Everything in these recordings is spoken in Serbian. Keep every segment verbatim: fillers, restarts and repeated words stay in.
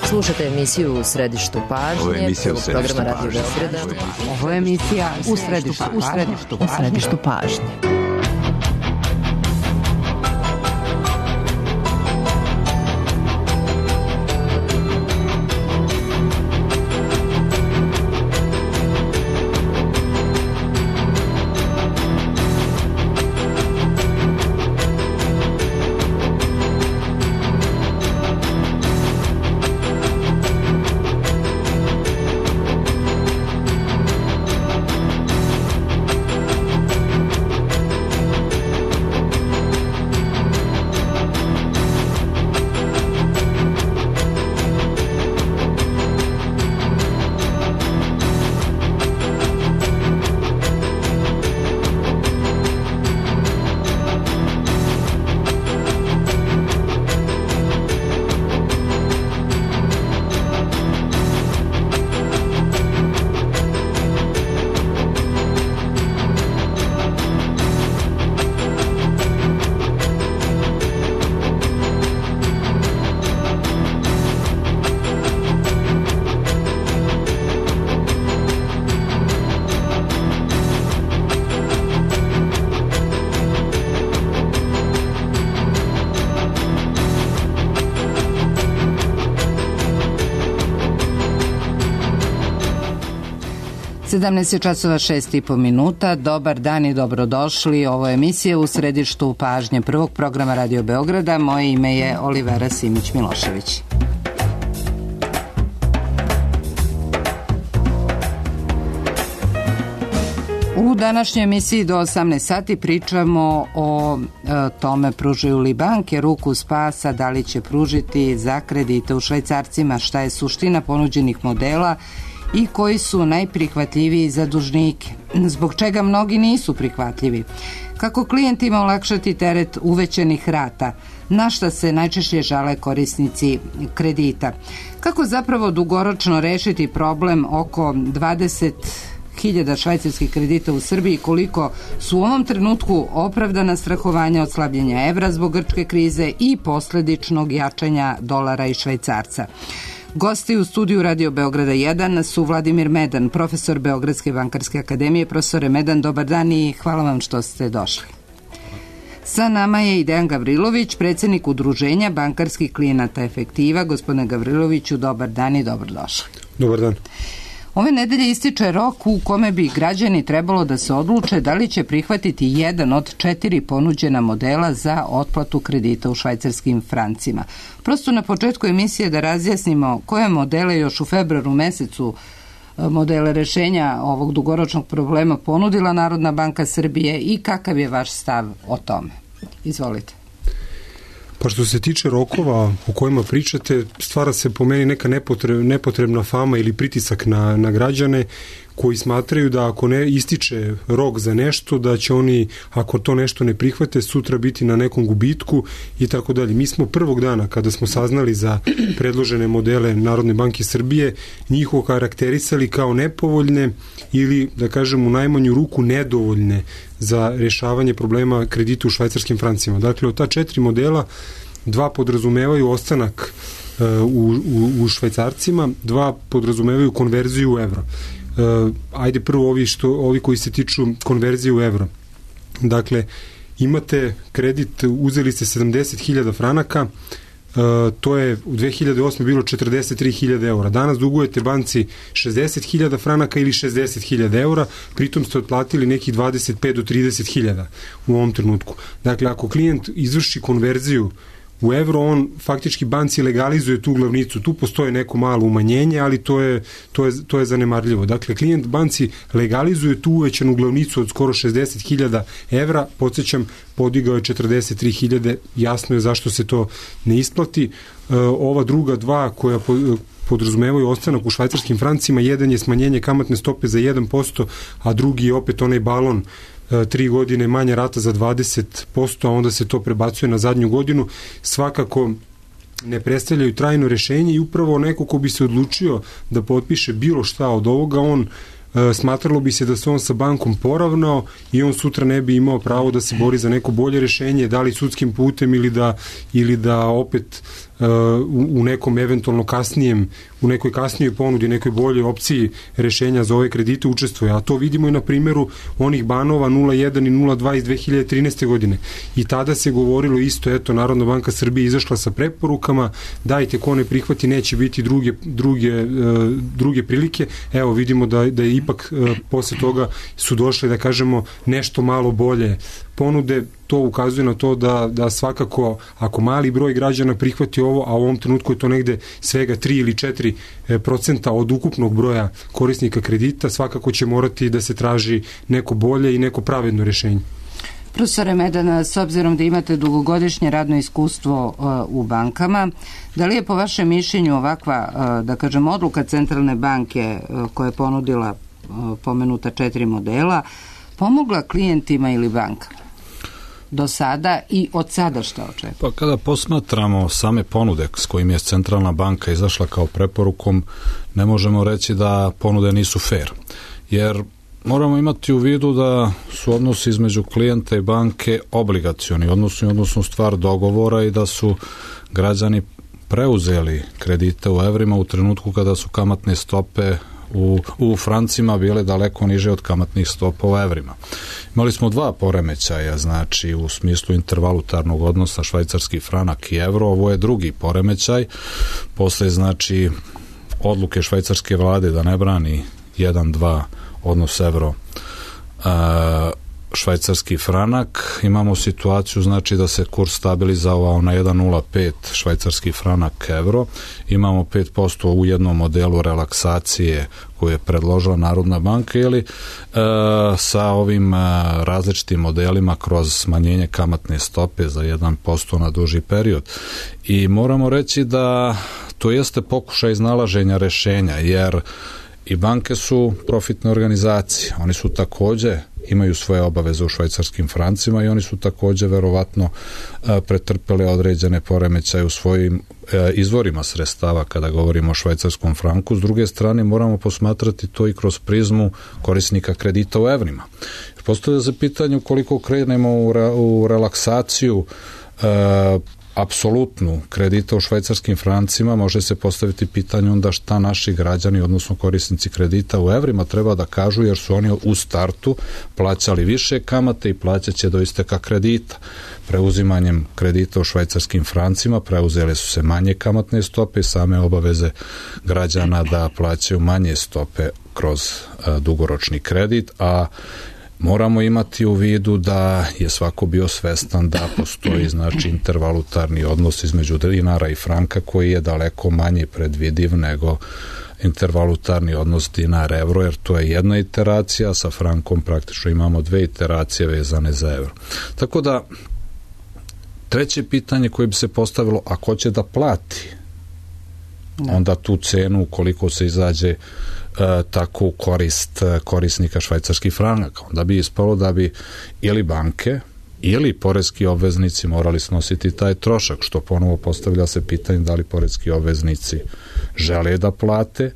Slušate emisiju U središtu pažnje, prvog programa Radio Beograda. Ovo je emisija U središtu pažnje. U središtu pažnje. sedamnaest časova šest i po minuta. Dobar dan i dobrodošli. Ovo je emisija U središtu pažnje prvog programa Radio Beograda. Moje ime je Olivera Simić-Milošević. U današnjoj emisiji do osamnaest sati pričamo o e, tome pružaju li banke ruku spasa, da li će pružiti za kredite u švajcarcima, šta je suština ponuđenih modela i koji su najprihvatljiviji za dužnike, zbog čega mnogi nisu prihvatljivi, kako klijentima olakšati teret uvećanih rata, na šta se najčešće žale korisnici kredita, kako zapravo dugoročno rešiti problem oko dvadeset hiljada švajcarskih kredita u Srbiji, koliko su u ovom trenutku opravdana strahovanja od slabljenja evra zbog grčke krize i posledičnog jačanja dolara i švajcarca. Gosti u studiju Radio Beograda jedan su Vladimir Medan, profesor Beogradske bankarske akademije. Profesore Medan, dobar dan i hvala vam što ste došli. Sa nama je i Dejan Gavrilović, predsjednik Udruženja bankarskih klijenata Efektiva. Gospodine Gavriloviću, dobar dan i dobrodošli. Dobar dan. Ove nedelje ističe rok u kome bi građani trebalo da se odluče da li će prihvatiti jedan od četiri ponuđena modela za otplatu kredita u švajcarskim francima. Prosto na početku emisije da razjasnimo koje modele još u februaru mesecu modele rešenja ovog dugoročnog problema ponudila Narodna banka Srbije i kakav je vaš stav o tome. Izvolite. Pa što se tiče rokova o kojima pričate, stvara se po meni neka nepotrebna, nepotrebna fama ili pritisak na, na građane koji smatraju da ako ne ističe rok za nešto, da će oni, ako to nešto ne prihvate, sutra biti na nekom gubitku i tako dalje. Mi smo prvog dana, kada smo saznali za predložene modele Narodne banke Srbije, njih okarakterisali kao nepovoljne ili, da kažem, u najmanju ruku nedovoljne za rešavanje problema kredita u švajcarskim francima. Dakle, od ta četiri modela, dva podrazumevaju ostanak uh, u, u, u švajcarcima, dva podrazumevaju konverziju u evro. Uh, ajde prvo ovi, što, ovi koji se tiču konverzije u evro. Dakle, imate kredit, uzeli ste sedamdeset hiljada franaka, uh, to je u dve hiljade osme bilo četrdeset tri hiljade eura. Danas dugujete banci šezdeset hiljada franaka ili šezdeset hiljada eura, pritom ste otplatili nekih dvadeset pet do trideset hiljada u ovom trenutku. Dakle, ako klijent izvrši konverziju u evro, on faktički banci legalizuje tu glavnicu. Tu postoje neko malo umanjenje, ali to je, to je, to je zanemarljivo. Dakle, klijent banci legalizuje tu uvećanu glavnicu od skoro šezdeset hiljada evra. Podsjećam, podigao je četrdeset tri hiljade. Jasno je zašto se to ne isplati. Ova druga dva koja podrazumevaju ostanak u švajcarskim francima, jedan je smanjenje kamatne stope za jedan posto, a drugi je opet onaj balon tri godine manja rata za dvadeset posto, a onda se to prebacuje na zadnju godinu. Svakako ne predstavljaju trajno rešenje i upravo neko ko bi se odlučio da potpiše bilo šta od ovoga, on smatralo bi se da se on sa bankom poravnao i on sutra ne bi imao pravo da se bori za neko bolje rešenje, da li sudskim putem ili da, ili da opet u nekom eventualno kasnijem, u nekoj kasnijoj ponudi, nekoj boljoj opciji rešenja za ove kredite učestvuje. A to vidimo i na primjeru onih banova nula jedan i nula dva iz dve hiljade trinaeste. godine. I tada se govorilo isto, eto, Narodna banka Srbije izašla sa preporukama, dajte, ko ne prihvati, neće biti druge, druge, druge prilike. Evo, vidimo da, da je ipak posle toga su došle, da kažemo, nešto malo bolje ponude. To ukazuje na to da, da svakako, ako mali broj građana prihvati ovo, a u ovom trenutku je to negde svega tri ili četiri procenta od ukupnog broja korisnika kredita, svakako će morati da se traži neko bolje i neko pravedno rešenje. Profesore Medan, s obzirom da imate dugogodišnje radno iskustvo u bankama, da li je po vašem mišljenju ovakva, da kažem, odluka Centralne banke koja je ponudila pomenuta četiri modela, pomogla klijentima ili bankama do sada i od sada šta očekuje? Pa kada posmatramo same ponude s kojim je Centralna banka izašla kao preporukom, ne možemo reći da ponude nisu fair, jer moramo imati u vidu da su odnosi između klijenta i banke obligacioni, odnosno, odnosno stvar dogovora i da su građani preuzeli kredite u evrima u trenutku kada su kamatne stope U, u francima bile daleko niže od kamatnih stopa u evrima. Imali smo dva poremećaja, znači u smislu intervalutarnog odnosa švajcarski franak i evro, ovo je drugi poremećaj, posle znači odluke švajcarske vlade da ne brani jedan dva odnos evro a, švajcarski franak, imamo situaciju znači da se kurs stabilizovao na jedan zarez nula pet švajcarski franak evro, imamo pet posto u jednom modelu relaksacije koju je predložila Narodna banka ili e, sa ovim e, različitim modelima kroz smanjenje kamatne stope za jedan posto na duži period. I moramo reći da to jeste pokušaj iznalaženja rešenja, jer i banke su profitne organizacije, oni su takođe imaju svoje obaveze u švajcarskim francima i oni su takođe verovatno pretrpeli određene poremećaje u svojim izvorima sredstava kada govorimo o švajcarskom franku. S druge strane moramo posmatrati to i kroz prizmu korisnika kredita u evrima. Postavlja se pitanje koliko krenemo u, re, u relaksaciju e, apsolutnu kredita u švajcarskim francima, može se postaviti pitanje onda šta naši građani, odnosno korisnici kredita u evrima treba da kažu, jer su oni u startu plaćali više kamate i plaćaće do isteka kredita. Preuzimanjem kredita u švajcarskim francima preuzele su se manje kamatne stope i same obaveze građana da plaćaju manje stope kroz a, dugoročni kredit, a moramo imati u vidu da je svako bio svestan da postoji znači intervalutarni odnos između dinara i franka koji je daleko manje predvidiv nego intervalutarni odnos dinar-evro, jer to je jedna iteracija, sa frankom praktično imamo dve iteracije vezane za evro. Tako da, treće pitanje koje bi se postavilo, a ko će da plati ne. onda tu cenu ukoliko se izađe E, tako u korist korisnika švajcarskih franaka. Onda bi ispalo da bi ili banke ili poreski obveznici morali snositi taj trošak, što ponovo postavlja se pitanje da li poreski obveznici žele da plate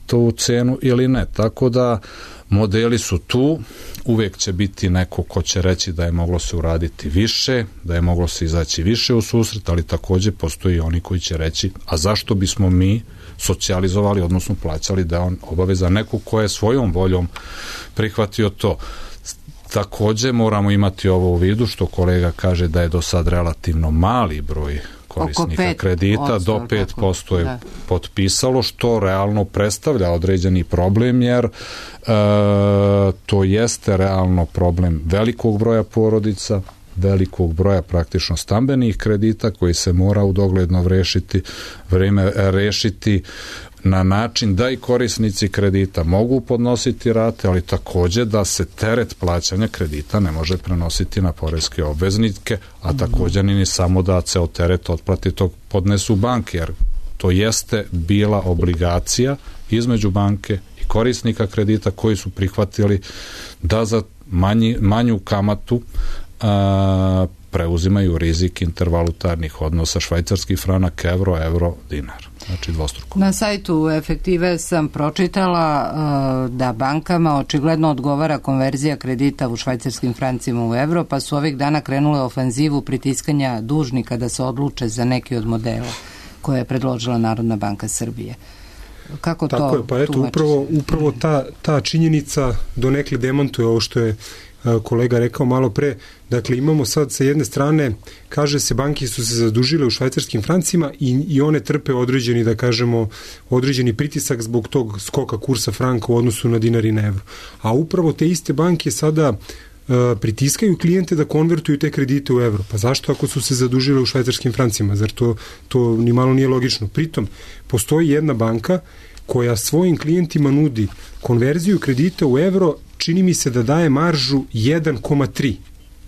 tu cenu ili ne. Tako da modeli su tu, uvijek će biti neko ko će reći da je moglo se uraditi više, da je moglo se izaći više u susret, ali također postoji oni koji će reći, a zašto bismo mi socijalizovali, odnosno plaćali da on obaveza nekog ko je svojom voljom prihvatio to. Također moramo imati ovo u vidu, što kolega kaže da je do sad relativno mali broj korisnika kredita, do pet posto je da. potpisalo, što realno predstavlja određeni problem, jer e, to jeste realno problem velikog broja porodica, velikog broja praktično stambenih kredita koji se mora u dogledno vrešiti, vreme rešiti na način da i korisnici kredita mogu podnositi rate, ali također da se teret plaćanja kredita ne može prenositi na poreske obveznike, a također ni samo da ceo teret otplati tog podnesu banke, jer to jeste bila obligacija između banke i korisnika kredita koji su prihvatili da za manji, manju kamatu a, preuzimaju rizik intervalutarnih odnosa švajcarski franak, evro, evro, dinar. znači dvostruko. Na sajtu Efektive sam pročitala uh, da bankama očigledno odgovara konverzija kredita u švajcarskim francima u evro, pa su ovih dana krenule ofenzivu pritiskanja dužnika da se odluče za neki od modela koje je predložila Narodna banka Srbije. Kako Tako to je, pa eto, upravo, upravo ta, ta činjenica donekle demantuje ovo što je kolega rekao malo pre. Dakle, imamo sad sa jedne strane, kaže se, banke su se zadužile u švajcarskim francima i, i one trpe određeni, da kažemo, određeni pritisak zbog tog skoka kursa franka u odnosu na dinar i na evro. A upravo te iste banke sada uh, pritiskaju klijente da konvertuju te kredite u evro. Pa zašto ako su se zadužile u švajcarskim francima? Zar to, to ni malo nije logično? Pritom, postoji jedna banka koja svojim klijentima nudi konverziju kredita u evro, čini mi se da daje maržu jedan zarez tri.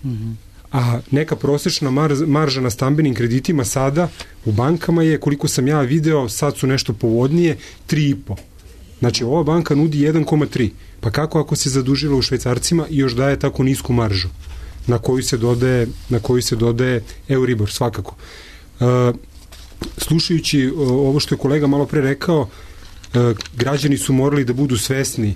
Mm-hmm. A neka prosečna mar, marža na stambenim kreditima sada u bankama je, koliko sam ja video, sad su nešto povodnije, tri zarez pet. Znači, ova banka nudi jedan zarez tri. Pa kako ako se zadužila u švajcarcima i još daje tako nisku maržu na koju se dodaje, na koju se dodaje Euribor, svakako. Uh, slušajući ovo što je kolega malo pre rekao, uh, građani su morali da budu svesni.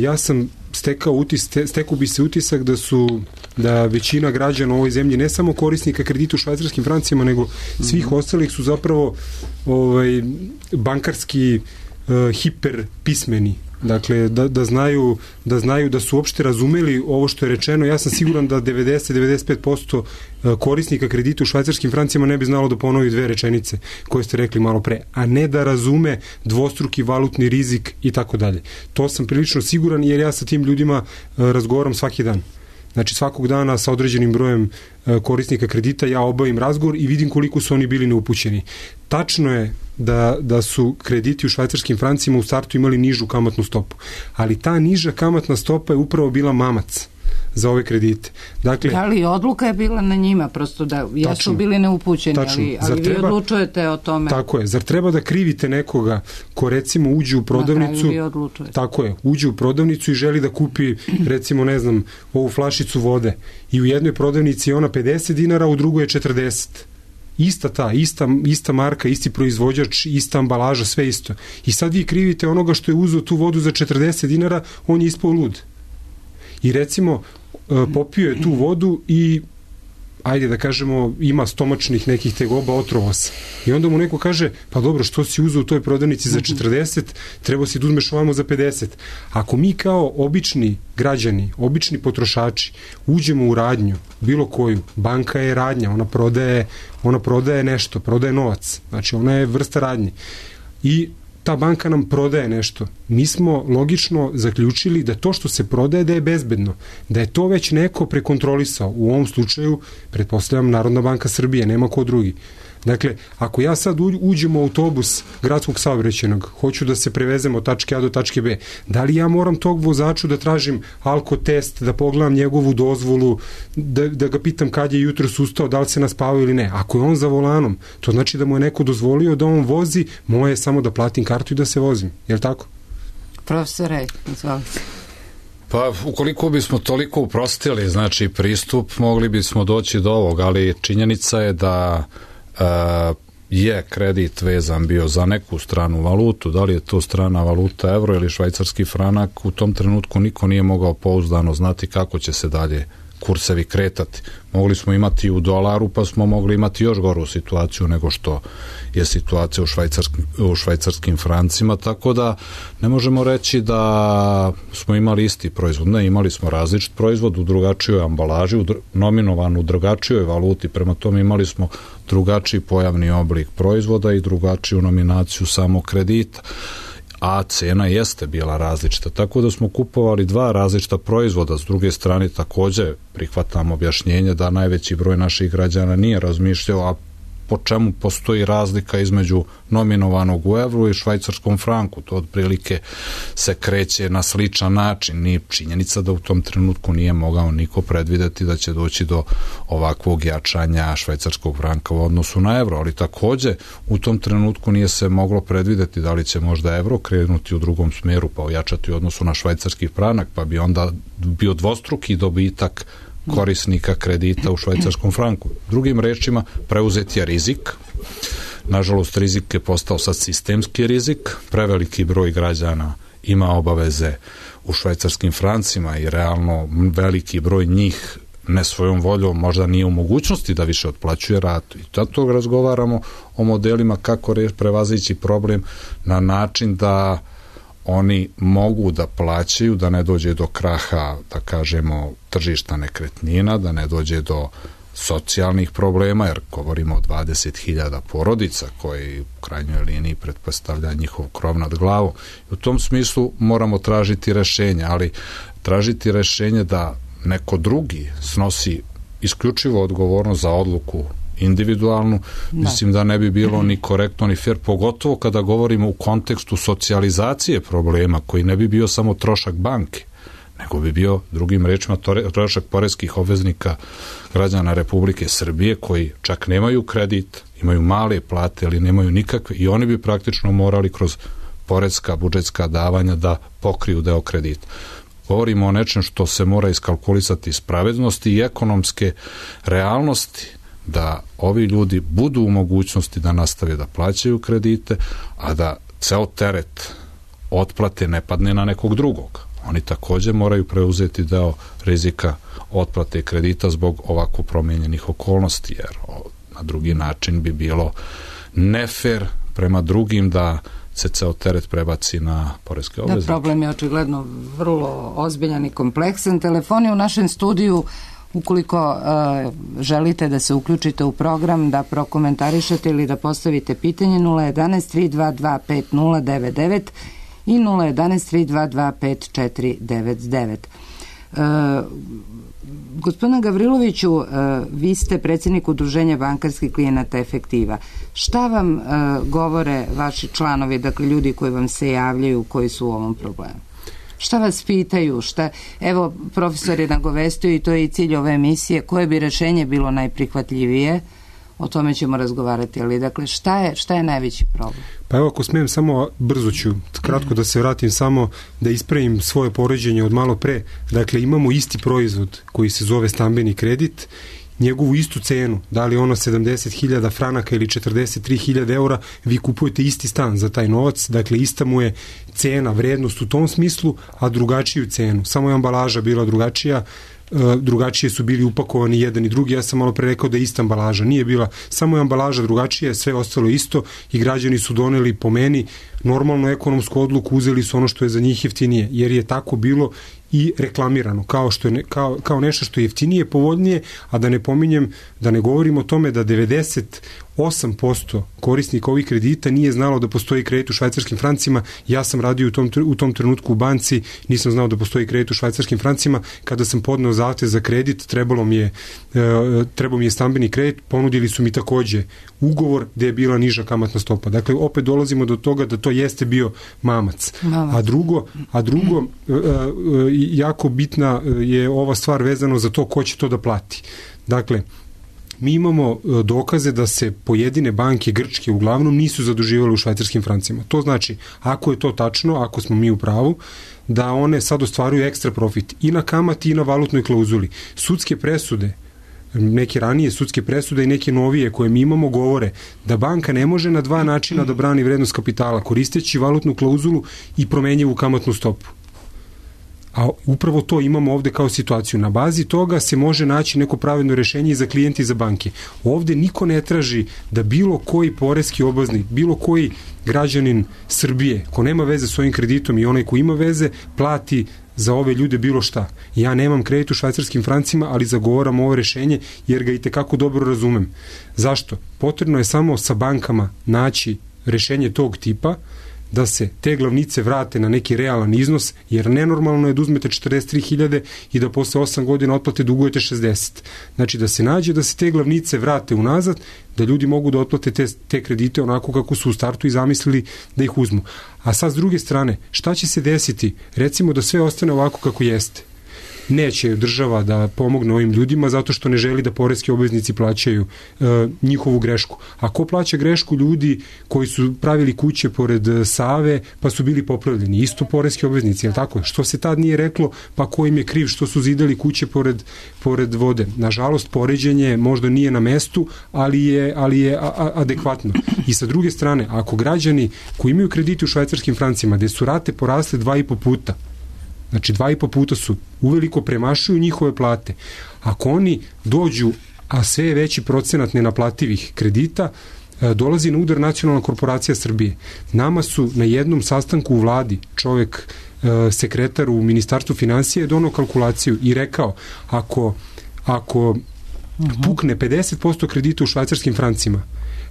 Ja sam stekao utis, stekao bi se utisak da su da većina građana u ovoj zemlji, ne samo korisnika kredita u švajcarskim francima, nego svih mm-hmm. ostalih su zapravo ovaj, bankarski uh, hiper pismeni. Dakle, da, da, znaju, da znaju da su uopšte razumeli ovo što je rečeno. Ja sam siguran da devedeset do devedeset pet posto korisnika kredita u švajcarskim francima ne bi znalo da ponovi dve rečenice koje ste rekli malo pre, a ne da razume dvostruki valutni rizik i tako dalje. To sam prilično siguran jer ja sa tim ljudima razgovaram svaki dan. Znači, svakog dana sa određenim brojem korisnika kredita ja obavim razgovor i vidim koliko su oni bili neupućeni. Tačno je da, da su krediti u švajcarskim francima u startu imali nižu kamatnu stopu, ali ta niža kamatna stopa je upravo bila mamac za ove kredite. Dakle, da li odluka je bila na njima, prosto da jesu tačno, bili neupućeni, tačno, ali, ali treba, vi odlučujete o tome. Tako je, zar treba da krivite nekoga ko recimo uđe u prodavnicu, tako je, uđe u prodavnicu i želi da kupi recimo, ne znam, ovu flašicu vode i u jednoj prodavnici je ona pedeset dinara, a u drugoj je četrdeset. Ista ta, ista, ista marka, isti proizvođač, ista ambalaža, sve isto. I sad vi krivite onoga što je uzeo tu vodu za četrdeset dinara, on je ispao lud. I recimo, popio je tu vodu i, ajde da kažemo, ima stomačnih nekih tegoba, otrovo se. I onda mu neko kaže, pa dobro, što si uzeo u toj prodavnici za četrdeset, treba si da uzmeš ovamo za pedeset. Ako mi kao obični građani, obični potrošači, uđemo u radnju, bilo koju, banka je radnja, ona prodaje, ona prodaje nešto, prodaje novac, znači ona je vrsta radnje. I ta banka nam prodaje nešto. Mi smo logično zaključili da to što se prodaje da je bezbedno, da je to već neko prekontrolisao. U ovom slučaju, pretpostavljam, Narodna banka Srbije, nema ko drugi. Dakle, ako ja sad uđem u autobus gradskog saobraćajnog, hoću da se prevezem od tačke A do tačke B, da li ja moram tog vozaču da tražim alkotest, da pogledam njegovu dozvolu, da, da ga pitam kad je jutro ustao, da li se naspavao ili ne? Ako je on za volanom, to znači da mu je neko dozvolio da on vozi, moje je samo da platim kartu i da se vozim. Je li tako? Profesore, izvolite. Pa, ukoliko bismo toliko uprostili, znači, pristup, mogli bismo doći do ovog, ali činjenica je da Uh, je kredit vezan bio za neku stranu valutu, da li je to strana valuta evro ili švajcarski franak, u tom trenutku niko nije mogao pouzdano znati kako će se dalje kursevi kretati. Mogli smo imati u dolaru, pa smo mogli imati još goru situaciju nego što je situacija u švajcarskim, u švajcarskim francima, tako da ne možemo reći da smo imali isti proizvod. Ne, imali smo različit proizvod u drugačijoj ambalaži, u dr- nominovan u drugačijoj valuti, prema tome imali smo drugačiji pojavni oblik proizvoda i drugačiju nominaciju samog kredita, a cena jeste bila različita, tako da smo kupovali dva različita proizvoda. S druge strane takođe prihvatam objašnjenje da najveći broj naših građana nije razmišljao, a po čemu postoji razlika između nominovanog u evru i švajcarskom franku. To otprilike se kreće na sličan način. Nije činjenica da u tom trenutku nije mogao niko predvideti da će doći do ovakvog jačanja švajcarskog franka u odnosu na evro, ali takođe u tom trenutku nije se moglo predvideti da li će možda evro krenuti u drugom smeru pa ojačati u odnosu na švajcarski franak, pa bi onda bio dvostruki dobitak korisnika kredita u švajcarskom franku. Drugim rečima, preuzet je rizik, Nažalost, rizik je postao sad sistemski rizik, preveliki broj građana ima obaveze u švajcarskim francima i realno veliki broj njih ne svojom voljom možda nije u mogućnosti da više otplaćuje ratu. I zato razgovaramo o modelima kako prevazići problem na način da oni mogu da plaćaju, da ne dođe do kraha, da kažemo, tržišta nekretnina, da ne dođe do socijalnih problema, jer govorimo o dvadeset hiljada porodica koji u krajnjoj liniji pretpostavlja njihov krov nad glavom. I u tom smislu moramo tražiti rešenje, ali tražiti rešenje da neko drugi snosi isključivo odgovornost za odluku individualnu, da. Mislim da ne bi bilo ni korektno ni fair, pogotovo kada govorimo u kontekstu socijalizacije problema, koji ne bi bio samo trošak banke, nego bi bio, drugim rečima, trošak poreskih obveznika građana Republike Srbije, koji čak nemaju kredit, imaju male plate, ali nemaju nikakve, i oni bi praktično morali kroz poreska, budžetska davanja da pokriju deo kredita. Govorimo o nečem što se mora iskalkulisati iz pravednosti i ekonomske realnosti, da ovi ljudi budu u mogućnosti da nastave da plaćaju kredite, a da ceo teret otplate ne padne na nekog drugog. Oni također moraju preuzeti deo rizika otplate kredita zbog ovako promenjenih okolnosti, jer na drugi način bi bilo nefer prema drugim da se ceo teret prebaci na poreske obveznike. Da, problem je očigledno vrlo ozbiljan i kompleksan. Telefon je u našem studiju, ukoliko uh, želite da se uključite u program, da prokomentarišete ili da postavite pitanje, nula jedanaest tri dva dva pet nula devet devet i nula jedanaest tri dva dva pet četiri devet devet. Uh, gospodine Gavriloviću, uh, vi ste predsjednik Udruženja bankarskih klijenata Efektiva. Šta vam uh, govore vaši članovi, dakle ljudi koji vam se javljaju, koji su u ovom problemu? Šta vas pitaju? Šta, evo, profesor je nagovestio i to je i cilj ove emisije, koje bi rešenje bilo najprihvatljivije, o tome ćemo razgovarati, ali dakle, šta je, šta je najveći problem? Pa evo, ako smijem, samo brzo ću, kratko da se vratim, samo da ispravim svoje poređenje od malo pre. Dakle, imamo isti proizvod koji se zove stambeni kredit, njegovu istu cenu, da li ono sedamdeset hiljada franaka ili četrdeset tri hiljade eura, vi kupujete isti stan za taj novac, dakle ista mu je cena, vrednost u tom smislu, a drugačiju cenu. Samo je ambalaža bila drugačija, drugačije su bili upakovani jedan i drugi, ja sam malo pre rekao da je ista ambalaža, nije bila, samo je ambalaža drugačija, sve ostalo isto i građani su doneli po meni normalnu ekonomsku odluku, uzeli su ono što je za njih jeftinije, jer je tako bilo i reklamirano, kao, što je ne, kao, kao nešto što je jeftinije, povoljnije, a da ne pominjem, da ne govorim o tome da devedeset osam posto korisnika ovih kredita nije znalo da postoji kredit u švajcarskim francima. Ja sam radio u tom, u tom trenutku u banci, nisam znao da postoji kredit u švajcarskim francima. Kada sam podneo zahtev za kredit, trebalo mi je, e, trebao mi je stambeni kredit, ponudili su mi takođe ugovor gde je bila niža kamatna stopa. Dakle, opet dolazimo do toga da to jeste bio mamac. mamac. A drugo, a drugo e, e, jako bitna je ova stvar vezano za to ko će to da plati. Dakle, mi imamo dokaze da se pojedine banke grčke uglavnom nisu zaduživale u švajcarskim francima. To znači, ako je to tačno, ako smo mi u pravu, da one sad ostvaruju ekstra profit i na kamati i na valutnoj klauzuli. Sudske presude, neke ranije sudske presude i neke novije koje mi imamo govore da banka ne može na dva načina da brani vrednost kapitala, koristeći valutnu klauzulu i promenjivu kamatnu stopu. A upravo to imamo ovde kao situaciju. Na bazi toga se može naći neko pravedno rešenje i za klijente i za banke. Ovde niko ne traži da bilo koji poreski obveznik, bilo koji građanin Srbije, ko nema veze s ovim kreditom i onaj ko ima veze, plati za ove ljude bilo šta. Ja nemam kredit u švajcarskim francima, ali zagovaram ovo rešenje jer ga i tekako dobro razumem. Zašto? Potrebno je samo sa bankama naći rešenje tog tipa, da se te glavnice vrate na neki realan iznos, jer nenormalno je da uzmete četrdeset tri hiljade i da posle osam godina otplate dugujete šezdeset. Znači da se nađe da se te glavnice vrate unazad, da ljudi mogu da otplate te, te kredite onako kako su u startu i zamislili da ih uzmu. A sad s druge strane, šta će se desiti? Recimo da sve ostane ovako kako jeste. neće država da pomogne ovim ljudima zato što ne želi da poreski obveznici plaćaju uh, njihovu grešku. A ko plaća grešku? Ljudi koji su pravili kuće pored Save pa su bili popravljeni. Isto poreski obveznici, je li tako? Što se tad nije reklo, pa ko im je kriv što su zidali kuće pored, pored vode? Nažalost, poređenje možda nije na mestu, ali je, ali je a, a, adekvatno. I sa druge strane, ako građani koji imaju kredite u švajcarskim francima, gde su rate porasle dva i po puta, znači dva i po puta su, uveliko premašuju njihove plate. Ako oni dođu, a sve je veći procenat nenaplativih kredita, dolazi na udar Nacionalna korporacija Srbije. Nama su na jednom sastanku u vladi čovek, sekretar u Ministarstvu finansija, je donao kalkulaciju i rekao, ako, ako pukne pedeset posto kredita u švajcarskim francima,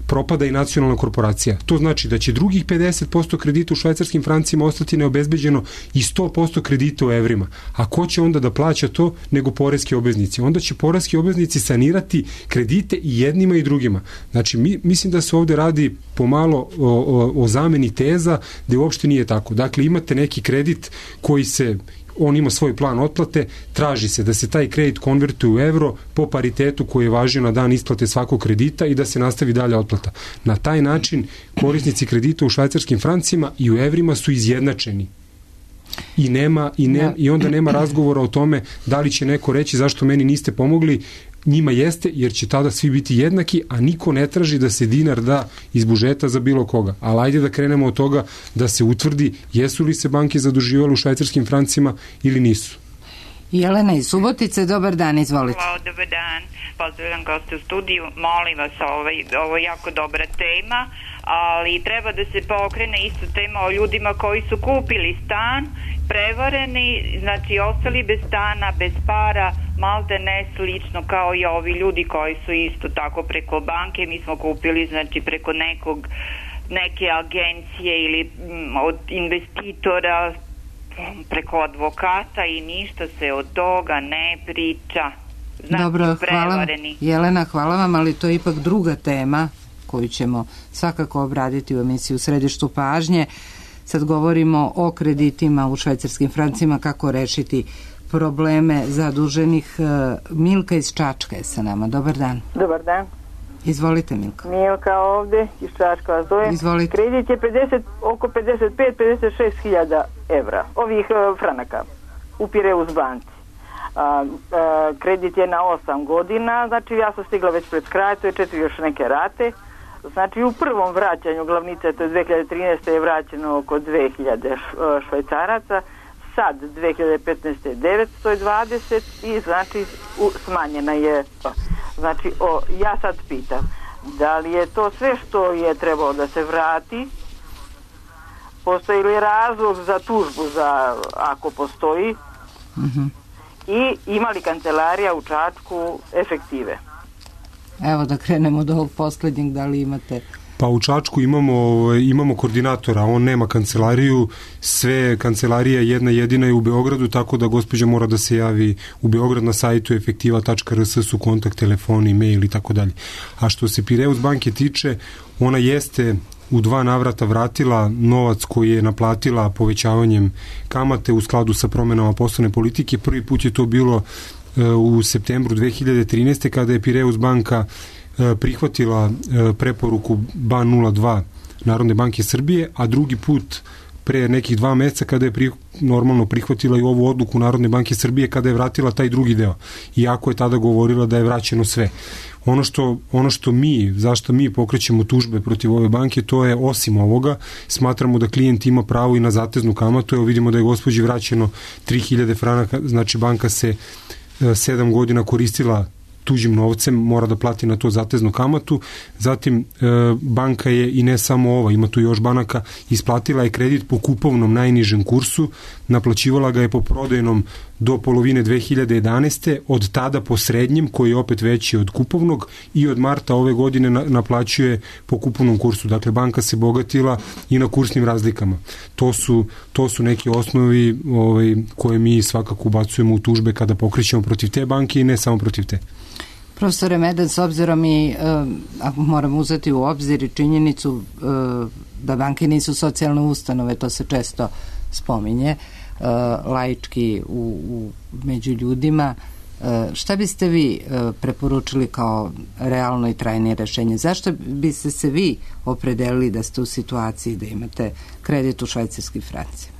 propada i nacionalna korporacija. To znači da će drugih pedeset posto kredita u švajcarskim francima ostati neobezbeđeno i sto posto kredita u evrima. A ko će onda da plaća to nego poreski obveznici? Onda će poreski obveznici sanirati kredite i jednima i drugima. Znači, mi, mislim da se ovde radi pomalo o, o, o zameni teza, gde uopšte nije tako. Dakle, imate neki kredit koji se on ima svoj plan otplate, traži se da se taj kredit konvertuje u evro po paritetu koji je važio na dan isplate svakog kredita i da se nastavi dalja otplata. Na taj način korisnici kredita u švajcarskim francima i u evrima su izjednačeni. I, nema, i, ne, i onda nema razgovora o tome da li će neko reći zašto meni niste pomogli. Njima jeste, jer će tada svi biti jednaki, a niko ne traži da se dinar da iz budžeta za bilo koga. Ali ajde da krenemo od toga da se utvrdi jesu li se banke zaduživale u švajcarskim francima ili nisu. Jelena iz Subotice, dobar dan, izvolite. Hvala, dobar dan. Pozdravljam goste u studiju. Molim vas, ovaj, ovo je jako dobra tema, ali treba da se pokrene isto tema o ljudima koji su kupili stan, prevareni, znači ostali bez stana, bez para, malte ne slično kao i ovi ljudi koji su isto tako preko banke. Mi smo kupili, znači, preko nekog, neke agencije ili m, od investitora, preko advokata i ništa se od toga ne priča. Znači, dobro, hvala, Jelena, hvala vam, ali to je ipak druga tema koju ćemo svakako obraditi u emisiji U središtu pažnje. Sad govorimo o kreditima u švajcarskim francima, kako rešiti probleme zaduženih. Milka iz Čačka je sa nama. Dobar dan. Dobar dan. Izvolite, Milka. Milka ovde iz Čačka vas zove. Izvolite. Kredit je pedeset, oko pedeset pet do pedeset šest hiljada evra, ovih uh, franaka u Pireus banci. A, a, kredit je na osam godina, znači ja sam stigla već pred kraj, to je četiri još neke rate. Znači u prvom vraćanju glavnice, to je dve hiljade trinaeste. je vraćeno oko dve hiljade švajcaraca, sad dve hiljade petnaeste. devetsto dvadeset i znači u, smanjena je. Znači o, ja sad pitam, da li je to sve što je trebalo da se vrati? Postoji li razlog za tužbu, za, ako postoji? Mm-hmm. I ima li kancelarija u Čačku efektive? Evo da krenemo od ovog poslednjeg, da li imate... Pa u Čačku imamo, imamo koordinatora, on nema kancelariju, sve kancelarija jedna jedina je u Beogradu, tako da gospođa mora da se javi u Beograd na sajtu efektiva tačka r s su kontakt, telefoni, mail i tako dalje. A što se Pireus banke tiče, ona jeste u dva navrata vratila novac koji je naplatila povećavanjem kamate u skladu sa promenama poslovne politike. Prvi put je to bilo u septembru dve hiljade trinaeste. kada je Pireus banka prihvatila preporuku B A N nula dva Narodne banke Srbije, a drugi put pre nekih dva meseca kada je pri, normalno prihvatila i ovu odluku Narodne banke Srbije kada je vratila taj drugi deo. Iako je tada govorila da je vraćeno sve. Ono što, ono što mi, zašto mi pokrećemo tužbe protiv ove banke, to je osim ovoga, smatramo da klijent ima pravo i na zateznu kamatu. Evo vidimo da je gospođi vraćeno tri hiljade franaka, znači banka se sedam godina koristila tuđim novcem, mora da plati na to zateznu kamatu. Zatim e, banka je, i ne samo ova, ima tu još banaka, isplatila je kredit po kupovnom najnižem kursu, naplaćivala ga je po prodajnom do polovine dve hiljade jedanaeste. Od tada po srednjem, koji je opet veći od kupovnog, i od marta ove godine na, naplaćuje po kupovnom kursu. Dakle, banka se bogatila i na kursnim razlikama. To su, to su neki osnovi ovaj, koje mi svakako ubacujemo u tužbe kada pokrećemo protiv te banke i ne samo protiv te. Profesore Medan, s obzirom i uh, moramo uzeti u obzir i činjenicu uh, da banke nisu socijalne ustanove, to se često spominje, laički u, u, među ljudima. Šta biste vi preporučili kao realno i trajnije rešenje? Zašto biste se vi opredelili da ste u situaciji da imate kredit u švajcarskim francima?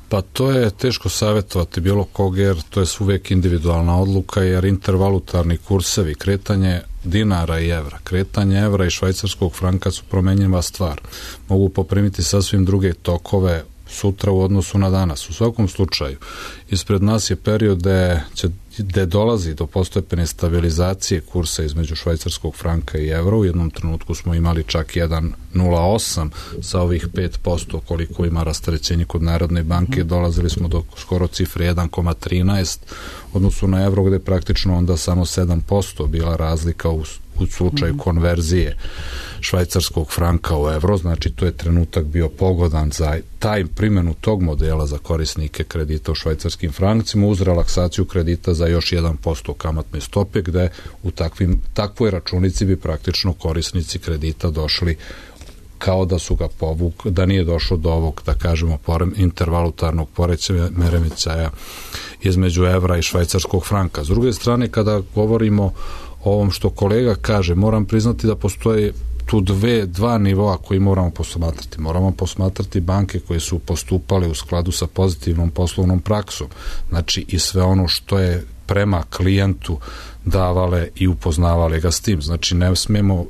Pa to je teško savjetovati bilo kog, jer to je uvijek individualna odluka, jer intervalutarni kursevi, kretanje dinara i evra, kretanje evra i švajcarskog franka su promenjiva stvar. Mogu poprimiti sasvim druge tokove sutra u odnosu na danas. U svakom slučaju, ispred nas je period gde, će, gde dolazi do postepene stabilizacije kursa između švajcarskog franka i evra. U jednom trenutku smo imali čak jedan zarez nula osam sa ovih pet posto koliko ima rasterećenje kod Narodne banke. Dolazili smo do skoro cifre jedan zarez trinaest odnosu na evro, gde praktično onda samo sedam posto bila razlika u u slučaju konverzije švajcarskog franka u evro. Znači to je trenutak bio pogodan za taj primjenu tog modela za korisnike kredita u švajcarskim francima uz relaksaciju kredita za još jedan posto kamatne stope, gde u takvim, takvoj računici bi praktično korisnici kredita došli kao da su ga povuk, da nije došlo do ovog, da kažemo, intervalutarnog poremećaja između evra i švajcarskog franka. S druge strane, kada govorimo o ovom što kolega kaže, moram priznati da postoje tu dve, dva nivoa koji moramo posmatrati. Moramo posmatrati banke koje su postupale u skladu sa pozitivnom poslovnom praksom. Znači i sve ono što je prema klijentu davale i upoznavale ga s tim. Znači ne smemo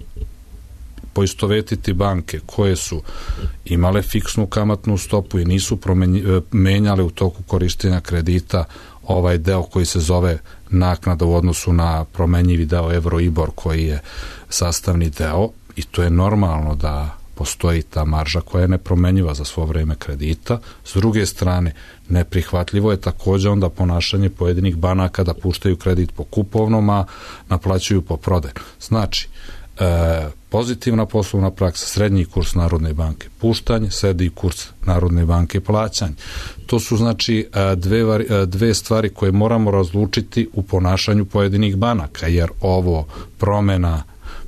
poistovetiti banke koje su imale fiksnu kamatnu stopu i nisu menjale u toku korištenja kredita ovaj deo koji se zove naknada u odnosu na promenjivi deo Euribor koji je sastavni deo, i to je normalno da postoji ta marža koja je nepromenjiva za svo vreme kredita. S druge strane, neprihvatljivo je također onda ponašanje pojedinih banaka da puštaju kredit po kupovnom, a naplaćuju po prodaju. Znači, e, pozitivna poslovna praksa, srednji kurs Narodne banke puštanje, srednji kurs Narodne banke plaćanje. To su znači dve, dve stvari koje moramo razlučiti u ponašanju pojedinih banaka, jer ovo promjena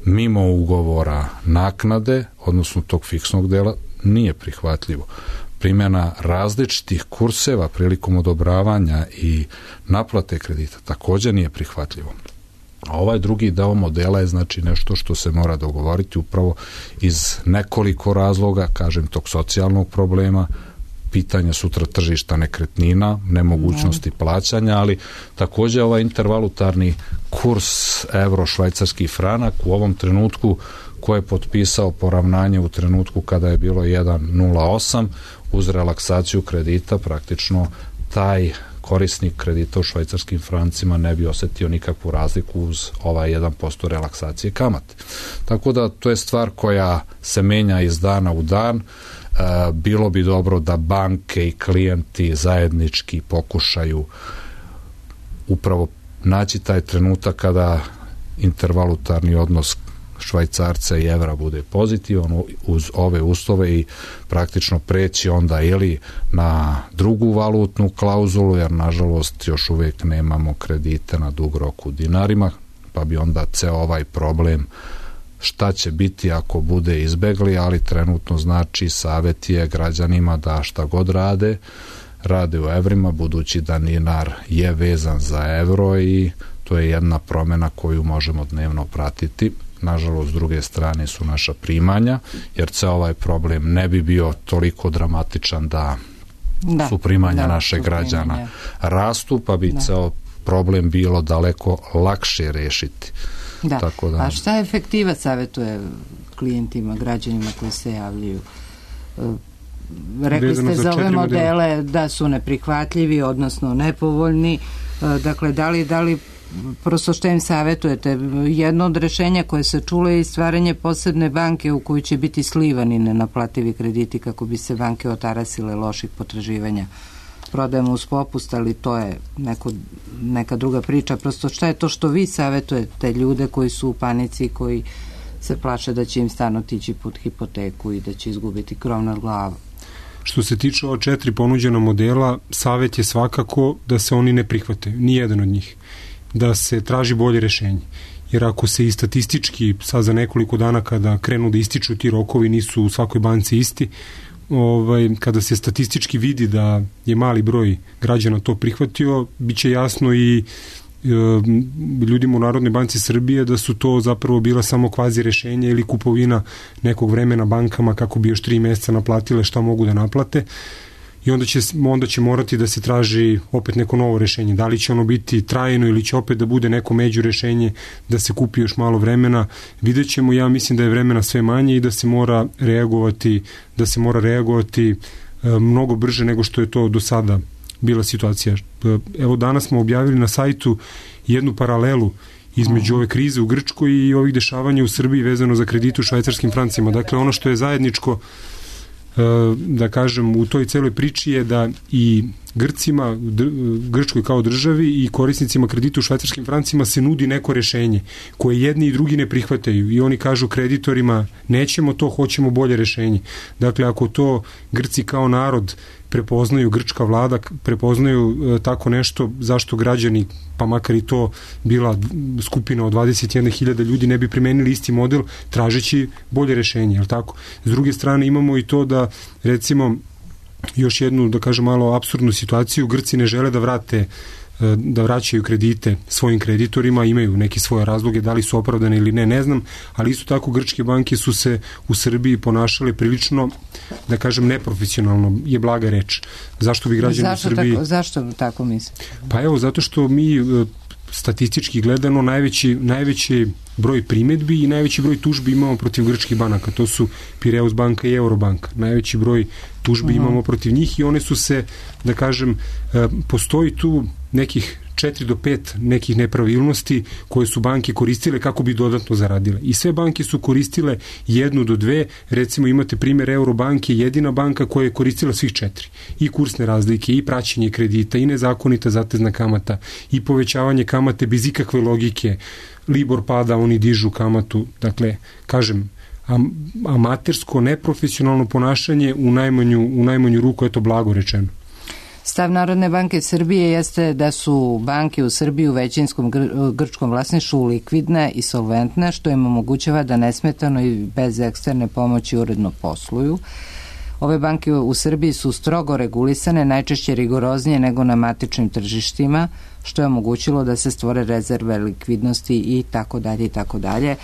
mimo ugovora naknade, odnosno tog fiksnog dela, nije prihvatljivo. Primjena različitih kurseva prilikom odobravanja i naplate kredita također nije prihvatljivo. A ovaj drugi deo modela je znači nešto što se mora dogovoriti upravo iz nekoliko razloga, kažem, tog socijalnog problema, pitanja sutra tržišta nekretnina, nemogućnosti plaćanja, ali također ovaj intervalutarni kurs euro-švajcarski franak u ovom trenutku ko je potpisao poravnanje u trenutku kada je bilo jedan zarez nula osam uz relaksaciju kredita, praktično taj korisnik kredita u švajcarskim francima ne bi osjetio nikakvu razliku uz ovaj jedan posto relaksacije kamate. Tako da to je stvar koja se menja iz dana u dan. E, bilo bi dobro da banke i klijenti zajednički pokušaju upravo naći taj trenutak kada intervalutarni odnos švajcarca i evra bude pozitivan uz ove uslove i praktično preći onda ili na drugu valutnu klauzulu, jer nažalost još uvijek nemamo kredite na dug rok u dinarima, pa bi onda ceo ovaj problem šta će biti ako bude izbegli, ali trenutno znači savjet je građanima da šta god rade, rade u evrima, budući da dinar je vezan za evro i to je jedna promjena koju možemo dnevno pratiti. Nažalost, s druge strane su naša primanja, jer ceo ovaj problem ne bi bio toliko dramatičan da, da su primanja da, našeg građana primanja rastu, pa bi da. ceo problem bilo daleko lakše rešiti. Da. Tako da. A šta efektiva savjetuje klijentima, građanima koji se javljaju? Rekli ste za ove modele da su neprihvatljivi, odnosno nepovoljni. Dakle, da li, da li prosto što im savjetujete? Jedno od rešenja koje se čulo je stvaranje posebne banke u kojoj će biti slivani nenaplativi krediti kako bi se banke otarasile loših potraživanja. Prodajemo uz popust, ali to je neko, neka druga priča. Prosto šta je to što vi savjetujete ljude koji su u panici, koji se plaše da će im stan otići pod hipoteku i da će izgubiti krov nad glavom? Što se tiče ova četiri ponuđena modela, savjet je svakako da se oni ne prihvate, ni jedan od njih, da se traži bolje rešenje. Jer ako se i statistički sad za nekoliko dana kada krenu da ističu ti rokovi nisu u svakoj banci isti, ovaj, kada se statistički vidi da je mali broj građana to prihvatio, bit će jasno i ljudima u Narodnoj banci Srbije da su to zapravo bila samo kvazi rešenja ili kupovina nekog vremena bankama kako bi još tri meseca naplatile šta mogu da naplate i onda će, onda će morati da se traži opet neko novo rešenje. Da li će ono biti trajno ili će opet da bude neko među rešenje da se kupi još malo vremena, vidjet ćemo. Ja mislim da je vremena sve manje i da se mora reagovati, da se mora reagovati mnogo brže nego što je to do sada bila situacija. Evo danas smo objavili na sajtu jednu paralelu između ove krize u Grčkoj i ovih dešavanja u Srbiji vezano za kredite u švajcarskim francima. Dakle, ono što je zajedničko, da kažem, u toj celoj priči je da i Grcima, Grčkoj kao državi i korisnicima kredita u švajcarskim francima se nudi neko rešenje koje jedni i drugi ne prihvataju i oni kažu kreditorima nećemo to, hoćemo bolje rešenje. Dakle, ako to Grci kao narod prepoznaju, grčka vlada prepoznaju e, tako nešto, zašto građani, pa makar i to bila skupina od dvadeset jedna hiljada ljudi, ne bi primenili isti model tražeći bolje rešenje, je li tako? S druge strane imamo i to da, recimo, još jednu, da kažem, malo apsurdnu situaciju, Grci ne žele da vrate da vraćaju kredite svojim kreditorima, imaju neke svoje razloge, da li su opravdane ili ne, ne znam, ali isto tako grčke banke su se u Srbiji ponašale prilično, da kažem, neprofesionalno, je blaga reč. Zašto bi građani zašto u Srbiji... Tako, zašto tako mislite? Pa evo, zato što mi statistički gledano najveći, najveći broj primetbi i najveći broj tužbi imamo protiv grčkih banaka. To su Pireus banka i Eurobanka. Najveći broj tužbi uh-huh. imamo protiv njih i one su se, da kažem, postoji tu nekih četiri do pet nekih nepravilnosti koje su banke koristile kako bi dodatno zaradile. I sve banke su koristile jednu do dve, recimo imate primjer Eurobanke, jedina banka koja je koristila svih četiri. I kursne razlike, i praćenje kredita, i nezakonita zatezna kamata, i povećavanje kamate bez ikakve logike. Libor pada, oni dižu kamatu. Dakle, kažem, am, amatersko, neprofesionalno ponašanje u najmanju, u najmanju ruku, eto blago rečeno. Stav Narodne banke Srbije jeste da su banke u Srbiji u većinskom gr- grčkom vlasništvu likvidne i solventne, što im omogućava da nesmetano i bez eksterne pomoći uredno posluju. Ove banke u Srbiji su strogo regulisane, najčešće rigoroznije nego na matičnim tržištima, što je omogućilo da se stvore rezerve likvidnosti i tako dalje i tako dalje. E,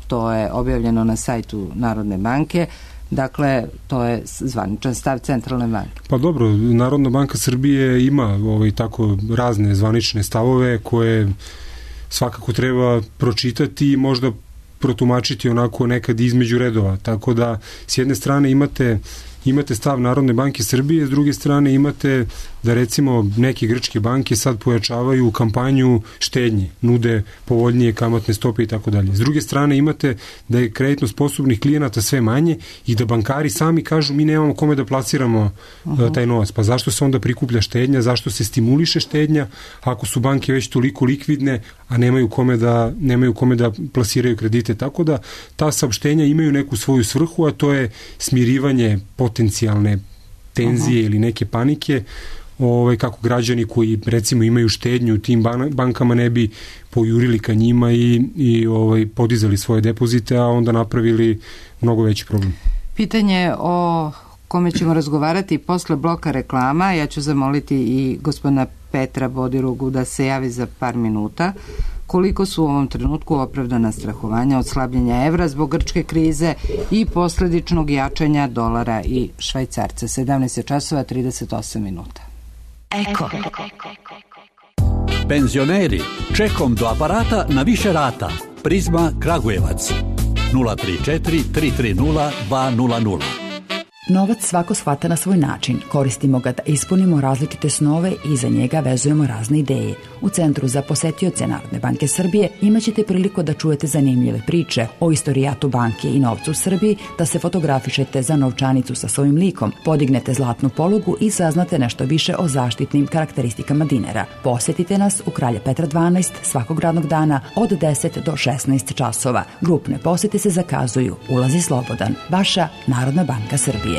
to je objavljeno na sajtu Narodne banke. Dakle, to je zvaničan stav Centralne banke. Pa dobro, Narodna banka Srbije ima ovaj, tako razne zvanične stavove koje svakako treba pročitati i možda protumačiti onako nekad između redova. Tako da, s jedne strane imate imate stav Narodne banke Srbije, s druge strane imate da recimo neke grčke banke sad pojačavaju kampanju štednje, nude povoljnije kamatne stope i tako dalje. S druge strane imate da je kreditno sposobnih klijenata sve manje i da bankari sami kažu mi nemamo kome da plasiramo uh-huh. taj novac. Pa zašto se onda prikuplja štednja, zašto se stimuliše štednja ako su banke već toliko likvidne, a nemaju kome da, nemaju kome da plasiraju kredite. Tako da ta saopštenja imaju neku svoju svrhu, a to je smirivanje potencijalne tenzije uh-huh. ili neke panike, ovaj, kako građani koji recimo imaju štednju u tim bankama ne bi pojurili ka njima i, i ovaj, podizali svoje depozite, a onda napravili mnogo veći problem. Pitanje o kome ćemo razgovarati posle bloka reklama. Ja ću zamoliti i gospodina Petra Bodirogu da se javi za par minuta. Koliko su u ovom trenutku opravdana strahovanja od slabljenja evra zbog grčke krize i posledičnog jačanja dolara i švajcarca? sedamnaest časova trideset osam minuta. Eko. Penzioneri, čekom do aparata na više rata. Prizma Kragujevac. nula tri četiri tri tri nula dva nula nula. Novac svako shvata na svoj način. Koristimo ga da ispunimo različite snove i za njega vezujemo razne ideje. U Centru za posetioce Narodne banke Srbije imaćete priliku da čujete zanimljive priče o istorijatu banke i novcu u Srbiji, da se fotografišete za novčanicu sa svojim likom, podignete zlatnu polugu i saznate nešto više o zaštitnim karakteristikama dinara. Posetite nas u Kralja Petra dvanaest svakog radnog dana od deset do šesnaest časova. Grupne posete se zakazuju. Ulazi slobodan. Vaša Narodna banka Srbije.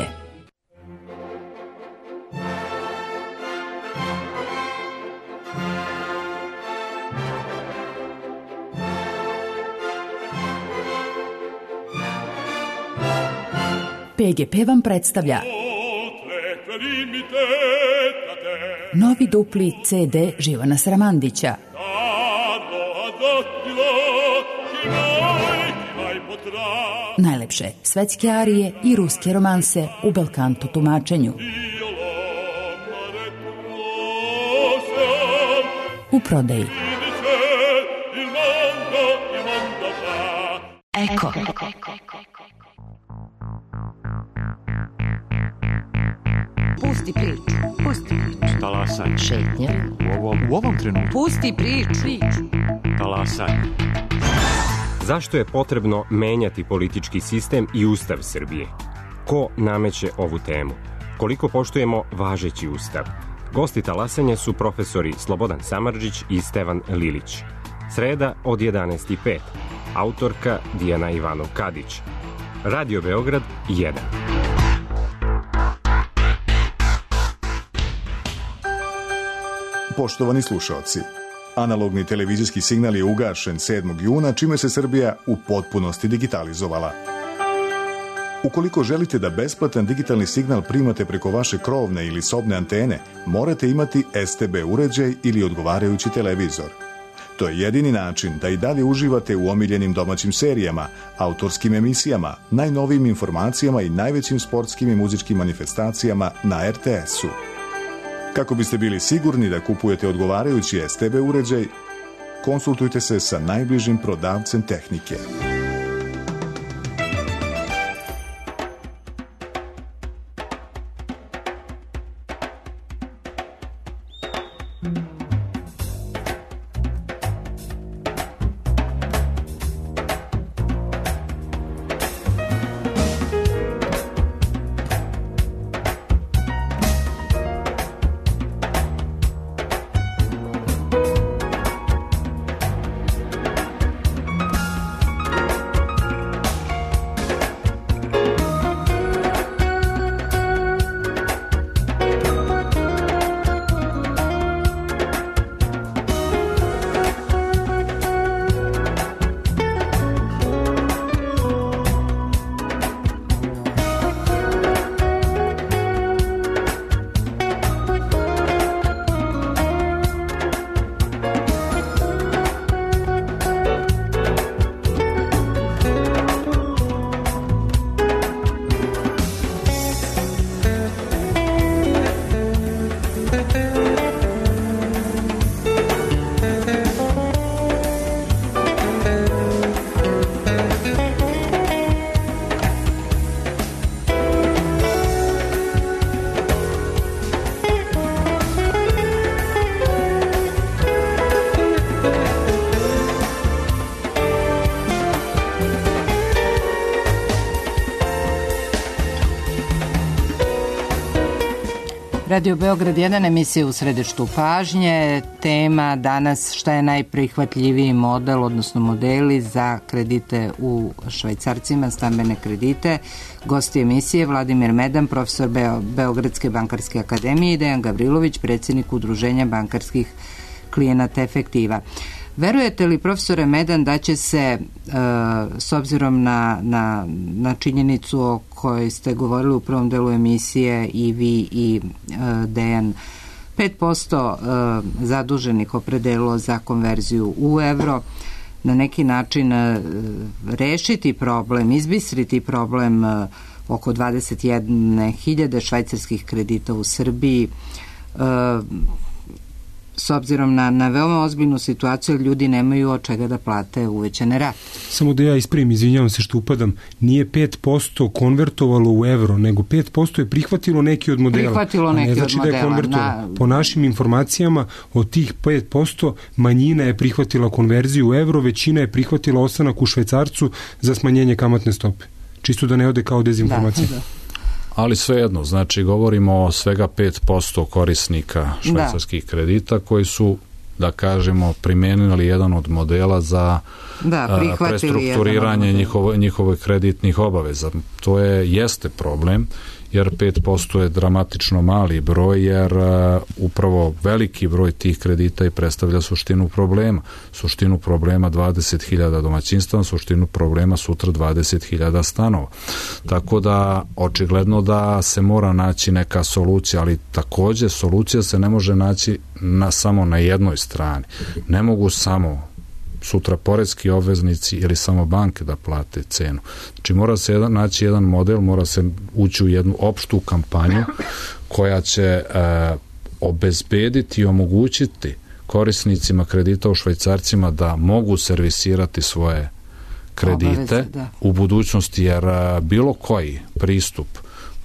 P G P vam predstavlja novi dupli C D Živana Sramandića. Najlepše svetske arije i ruske romanse u belkanto tumačenju. U prodaji. Eko. Pusti priču. Pusti priču. Talasaj. Šetnja. U ovom, u ovom trenutku. Pusti priču. Talasaj. Zašto je potrebno menjati politički sistem i ustav Srbije? Ko nameće ovu temu? Koliko poštujemo važeći ustav? Gosti talasanja su profesori Slobodan Samardžić i Stevan Lilić. Sreda od jedanaest i pet. Autorka Dijana Ivanov-Kadić. Radio Beograd jedan. Poštovani slušaoci, analogni televizijski signal je ugašen sedmog juna, čime se Srbija u potpunosti digitalizovala. Ukoliko želite da besplatan digitalni signal primate preko vaše krovne ili sobne antene, morate imati S T B uređaj ili odgovarajući televizor. To je jedini način da i dalje uživate u omiljenim domaćim serijama, autorskim emisijama, najnovijim informacijama i najvećim sportskim i muzičkim manifestacijama na R T S-u. Kako biste bili sigurni da kupujete odgovarajući S T B uređaj, konsultujte se sa najbližim prodavcem tehnike. Radio Beograd jedan, emisija u središtu pažnje. Tema danas šta je najprihvatljiviji model, odnosno modeli za kredite u švajcarcima, stambene kredite. Gosti emisije Vladimir Medan, profesor Beo, Beogradske bankarske akademije i Dejan Gavrilović, predsjednik Udruženja bankarskih klijenata Efektiva. Verujete li, profesore Medan, da će se, e, s obzirom na, na, na činjenicu o kojoj ste govorili u prvom delu emisije i vi i e, Dejan, pet posto e, zaduženih opredelilo za konverziju u evro, na neki način e, rešiti problem, izbistriti problem e, oko dvadeset jedne hiljade švajcarskih kredita u Srbiji, e, s obzirom na, na veoma ozbiljnu situaciju, ljudi nemaju od čega da plate uvećane rate. Samo da ja ispravim, izvinjavam se što upadam, nije pet posto konvertovalo u evro, nego pet posto je prihvatilo neki od modela. Prihvatilo neki ne znači od modela. Da je na... Po našim informacijama, od tih pet posto manjina je prihvatila konverziju u evro, većina je prihvatila ostanak u švajcarcu za smanjenje kamatne stope. Čisto da ne ode kao dezinformacija. Da, da. Ali svejedno, znači govorimo o svega pet posto korisnika švajcarskih da. kredita koji su, da kažemo, primenili jedan od modela za da, prestrukturiranje njihove, njihove kreditnih obaveza. To je, jeste problem jer pet posto je dramatično mali broj, jer uh, upravo veliki broj tih kredita i predstavlja suštinu problema. Suštinu problema dvadeset hiljada domaćinstva, suštinu problema sutra dvadeset hiljada stanova. Tako da, očigledno da se mora naći neka solucija, ali takođe solucija se ne može naći na, samo na jednoj strani. Ne mogu samo sutra poreski obveznici ili samo banke da plate cenu. Znači mora se jedan, naći jedan model, mora se ući u jednu opštu kampanju koja će e, obezbediti i omogućiti korisnicima kredita u švajcarcima da mogu servisirati svoje kredite Obaveze, u budućnosti, jer a, bilo koji pristup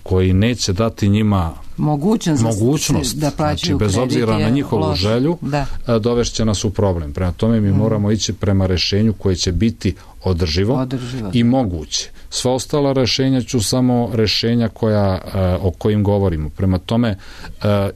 koji neće dati njima mogućnost, mogućnost da plaćaju znači, bez obzira na njihovu loš. želju, da. dovešće nas u problem. Prema tome mi mm. moramo ići prema rešenju koje će biti održivo, održivo. i moguće. Sva ostala rešenja ću samo rešenja koja, o kojim govorimo. Prema tome,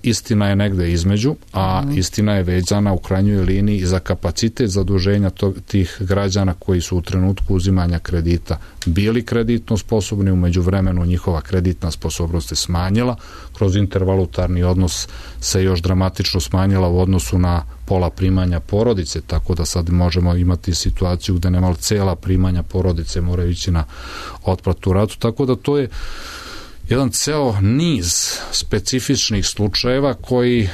istina je negde između, a mm. istina je vezana u krajnjoj liniji za kapacitet zaduženja tog, tih građana koji su u trenutku uzimanja kredita bili kreditno sposobni, umeđu vremenu njihova kreditna sposobnost je smanjila, kroz intervalutarni odnos se još dramatično smanjila u odnosu na pola primanja porodice, tako da sad možemo imati situaciju gde nemal cela primanja porodice moraju ići na otplatu ratu, tako da to je jedan ceo niz specifičnih slučajeva koji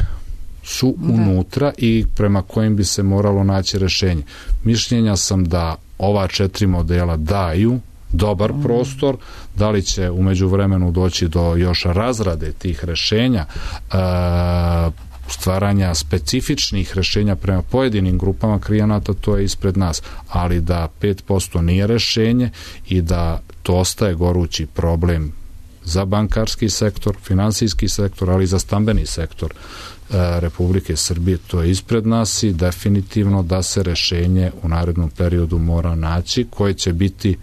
su unutra i prema kojim bi se moralo naći rešenje. Mišljenja sam da ova četiri modela daju dobar prostor, da li će umeđu vremenu doći do još razrade tih rešenja, e, stvaranja specifičnih rešenja prema pojedinim grupama klijenata, to je ispred nas, ali da pet posto nije rešenje i da to ostaje gorući problem za bankarski sektor, finansijski sektor, ali i za stambeni sektor e, Republike Srbije, to je ispred nas i definitivno da se rešenje u narednom periodu mora naći, koje će biti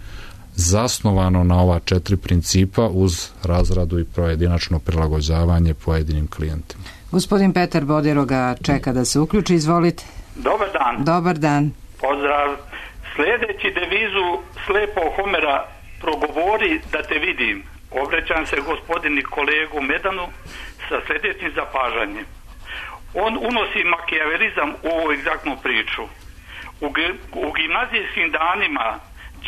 zasnovano na ova četiri principa uz razradu i pojedinačno prilagođavanje pojedinim klijentima. Gospodin Petar Bodiroga čeka da se uključi, izvolite. Dobar dan. Dobar dan. Pozdrav. Sledeći devizu slepo Homera progovori da te vidim. Obraćam se gospodini kolegu Medanu sa sledećim zapažanjem. On unosi makijavelizam u ovu egzaktnu priču. U, u gimnazijskim danima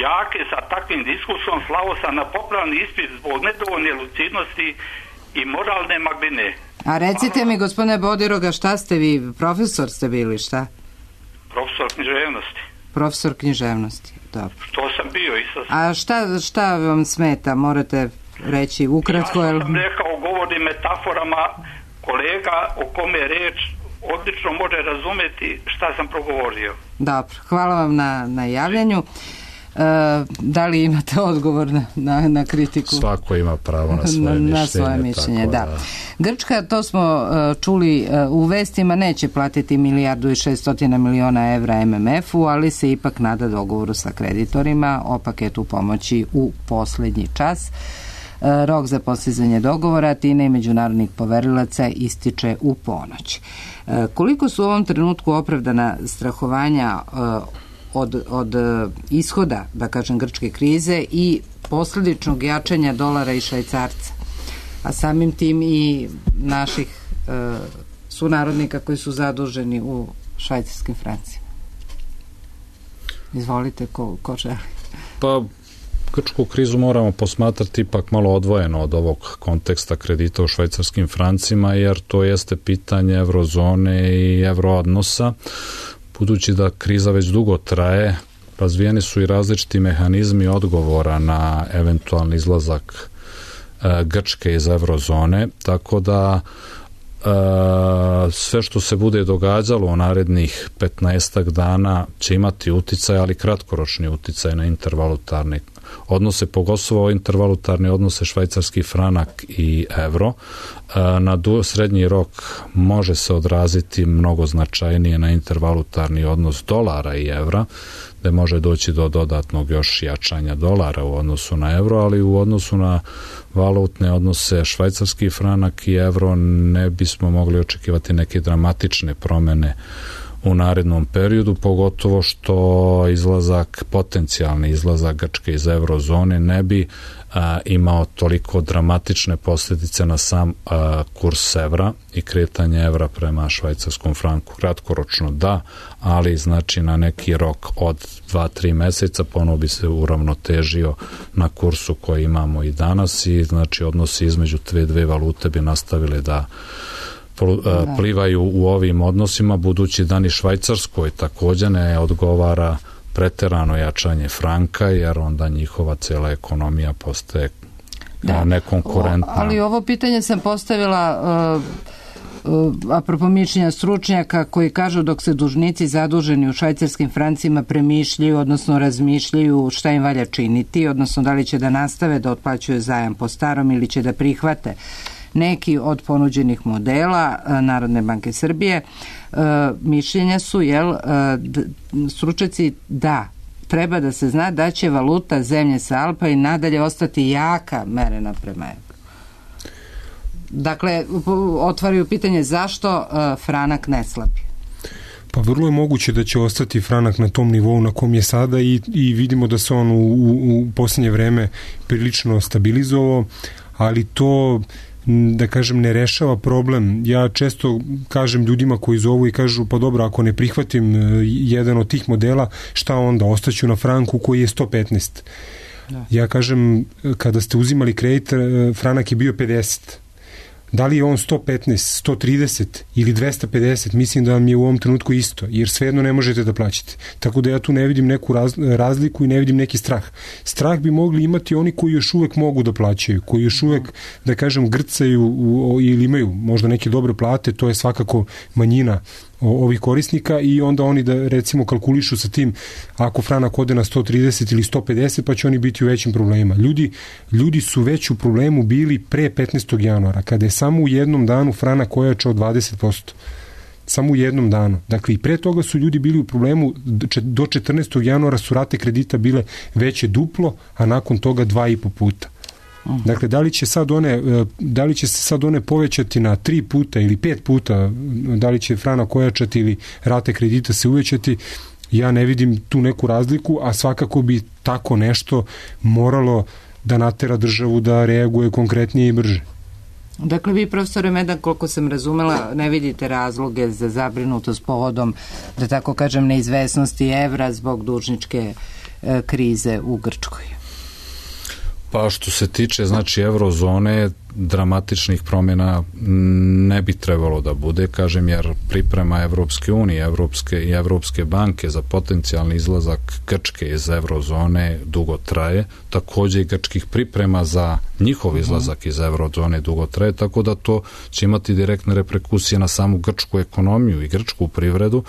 đake sa takvim diskursom slao sam na popravni ispit zbog nedovoljne lucidnosti i moralne magline. A recite mi, gospodine Bodiroga, šta ste vi, profesor ste bili, šta? Profesor književnosti. Profesor književnosti, dobro. Što sam bio i sa... A šta, šta vam smeta, morate reći ukratko? Ja sam rekao, govori metaforama, kolega o kome je reč odlično može razumeti šta sam progovorio. Dobro, hvala vam na, na javljanju. Uh, da li imate odgovor na, na, na kritiku? Svako ima pravo na svoje mišljenje. Na svoje mišljenje, da. da. Grčka, to smo uh, čuli uh, u vestima, neće platiti milijardu i šeststotina miliona evra em em efu, ali se ipak nada dogovoru sa kreditorima o paketu pomoći u poslednji čas. Uh, rok za postizanje dogovora Tine i međunarodnih poverilaca ističe u ponoć. Uh, koliko su u ovom trenutku opravdana strahovanja uh, Od, od ishoda, da kažem, grčke krize i posledičnog jačanja dolara i švajcarca, a samim tim i naših e, sunarodnika koji su zaduženi u švajcarskim francima? Izvolite, ko, ko želi? Pa, grčku krizu moramo posmatrati ipak malo odvojeno od ovog konteksta kredita u švajcarskim francima, jer to jeste pitanje evrozone i evroodnosa. Budući da kriza već dugo traje, razvijeni su i različiti mehanizmi odgovora na eventualni izlazak e, Grčke iz evrozone, tako da e, sve što se bude događalo u narednih petnaestak dana će imati uticaj, ali kratkoročni uticaj na intervalutarne odnose, pogotovo intervalutarne odnose švajcarski franak i evro. Na srednji rok može se odraziti mnogo značajnije na intervalutarni odnos dolara i evra, gde može doći do dodatnog još jačanja dolara u odnosu na evro, ali u odnosu na valutne odnose švajcarski franak i evro ne bismo mogli očekivati neke dramatične promene u narednom periodu, pogotovo što izlazak, potencijalni izlazak Grčke iz eurozone ne bi a, imao toliko dramatične posljedice na sam a, kurs evra i kretanje evra prema švajcarskom franku. Kratkoročno da, ali znači na neki rok od dva do tri meseca ponovo bi se uravnotežio na kursu koji imamo i danas i znači odnosi između te dve valute bi nastavili da plivaju u ovim odnosima, budući da ni Švajcarskoj također ne odgovara preterano jačanje franka, jer onda njihova cela ekonomija postaje da. nekonkurentna. O, ali ovo pitanje sam postavila uh, uh, apropo mišljenja stručnjaka koji kažu dok se dužnici zaduženi u švajcarskim francima premišljaju, odnosno razmišljaju šta im valja činiti, odnosno da li će da nastave da otplaćuju zajam po starom ili će da prihvate neki od ponuđenih modela Narodne banke Srbije. E, mišljenja su, jel, d, stručnjaci da treba da se zna da će valuta zemlje sa Alpa i nadalje ostati jaka merena prema evru. Dakle, otvaraju pitanje zašto e, franak ne slabi. Pa vrlo je moguće da će ostati franak na tom nivou na kom je sada i, i vidimo da se on u, u, u posljednje vreme prilično stabilizovao, ali to da kažem ne rešava problem. Ja često kažem ljudima koji zovu i kažu pa dobro, ako ne prihvatim jedan od tih modela, šta onda? Ostaću na franku koji je sto petnaest. Da. Ja kažem, kada ste uzimali kredit, franak je bio pedeset. Da li je on sto petnaest, sto trideset ili dvesta pedeset, mislim da vam je u ovom trenutku isto, jer svejedno ne možete da plaćate. Tako da ja tu ne vidim neku raz, razliku i ne vidim neki strah. Strah bi mogli imati oni koji još uvek mogu da plaćaju, koji još uvek, da kažem, grcaju u, ili imaju možda neke dobre plate, to je svakako manjina ovih korisnika i onda oni da recimo kalkulišu sa tim ako franak ode na sto trideset ili sto pedeset pa će oni biti u većim problemima. Ljudi, ljudi su već u problemu bili pre petnaestog januara kada je samo u jednom danu franak ojačao dvadeset posto. Samo u jednom danu. Dakle, i pre toga su ljudi bili u problemu, do četrnaestog januara su rate kredita bile veće duplo, a nakon toga dva i po puta. Dakle, da li će sad one, da li će se sad one povećati na tri puta ili pet puta, da li će franak ojačati ili rate kredita se uvećati, ja ne vidim tu neku razliku, a svakako bi tako nešto moralo da natera državu da reaguje konkretnije i brže. Dakle, vi, profesore Medan, koliko sam razumela, ne vidite razloge za zabrinutost povodom, da tako kažem, neizvesnosti evra zbog dužničke e, krize u Grčkoj. Pa što se tiče znači eurozone, dramatičnih promjena ne bi trebalo da bude, kažem, jer priprema Evropske unije, Evropske i Evropske banke za potencijalni izlazak Grčke iz eurozone dugo traje, također i grčkih priprema za njihov izlazak iz eurozone dugo traje, tako da to će imati direktne reperkusije na samu grčku ekonomiju i grčku privredu,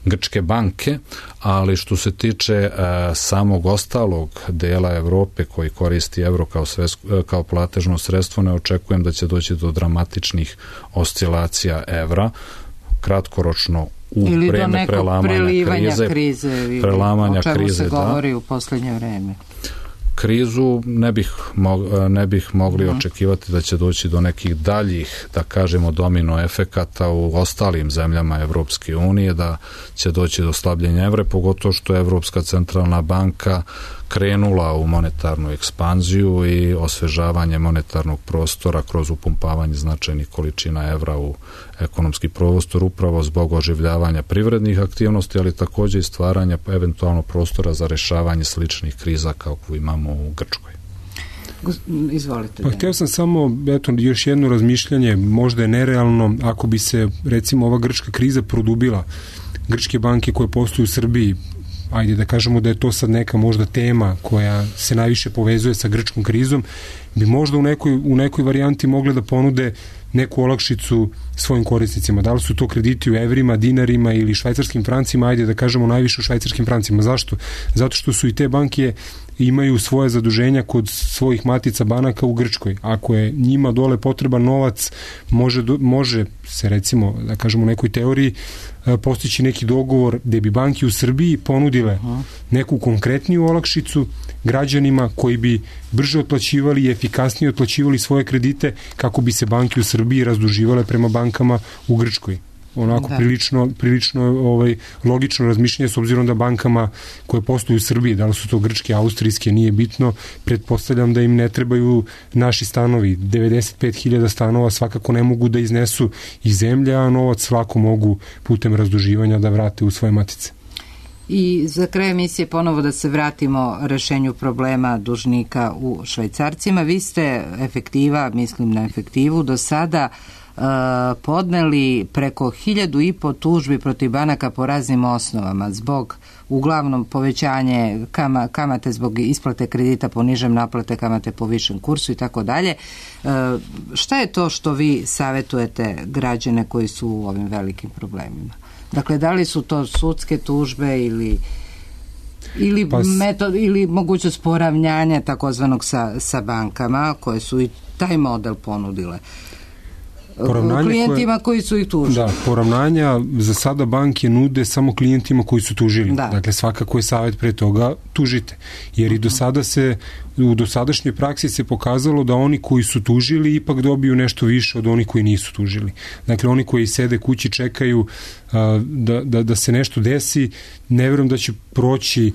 grčke banke, ali što se tiče e, samog ostalog dela Evrope koji koristi evro kao, sves, kao platežno sredstvo, ne očekujem da će doći do dramatičnih oscilacija evra, kratkoročno u ili vreme prelamanja krize, krize prelamanja o čemu krize, se govori da. U posljednje vreme. Krizu ne bih, mog, ne bih mogli uh-huh. očekivati da će doći do nekih daljih, da kažemo, domino efekata u ostalim zemljama Evropske unije, da će doći do slabljenja evra, pogotovo što je Evropska centralna banka krenula u monetarnu ekspanziju i osvežavanje monetarnog prostora kroz upumpavanje značajnih količina evra u ekonomski prostor, upravo zbog oživljavanja privrednih aktivnosti, ali također i stvaranja eventualno prostora za rešavanje sličnih kriza kao imamo u Grčkoj. Izvolite. Pa htio sam samo, eto, još jedno razmišljanje, možda je nerealno, ako bi se, recimo, ova grčka kriza produbila, grčke banke koje posluju u Srbiji, ajde da kažemo da je to sad neka možda tema koja se najviše povezuje sa grčkom krizom, bi možda u nekoj, u nekoj varijanti mogle da ponude neku olakšicu svojim korisnicima. Da li su to krediti u evrima, dinarima ili švajcarskim francima, ajde da kažemo najviše u švajcarskim francima. Zašto? Zato što su i te banke imaju svoje zaduženja kod svojih matica banaka u Grčkoj. Ako je njima dole potreban novac, može, do, može se, recimo, da kažemo u nekoj teoriji, postići neki dogovor gde bi banke u Srbiji ponudile neku konkretniju olakšicu građanima koji bi brže otplaćivali i efikasnije otplaćivali svoje kredite kako bi se banke u Srbiji razduživale prema bankama u Grčkoj. onako da. prilično, prilično ovaj, logično razmišljanje, s obzirom da bankama koje posluju u Srbiji, da li su to grčke, austrijske, nije bitno, pretpostavljam da im ne trebaju naši stanovi. devedeset pet hiljada stanova svakako ne mogu da iznesu iz zemlje, a novac svako mogu putem razduživanja da vrate u svoje matice. I za kraj emisije ponovo da se vratimo rešenju problema dužnika u švajcarcima. Vi ste efektiva, mislim na efektivu, do sada uh, podneli preko hiljadu i po tužbi protiv banaka po raznim osnovama zbog uglavnom povećanje kama, kamate zbog isplate kredita po nižem, naplate kamate po višem kursu i tako dalje. Šta je to što vi savjetujete građane koji su u ovim velikim problemima? Dakle, da li su to sudske tužbe ili ili, pa, metod, ili mogućnost poravnjanja takozvanog sa, sa bankama koje su i taj model ponudile klijentima koje, koji su ih tužili. Da, poravnanja za sada banke nude samo klijentima koji su tužili. Da. Dakle, svakako je savjet pre toga tužite. Jer uh-huh. i do sada se, u dosadašnjoj praksi se pokazalo da oni koji su tužili ipak dobiju nešto više od onih koji nisu tužili. Dakle, oni koji sede kući čekaju a, da, da, da se nešto desi, ne vjerujem da će proći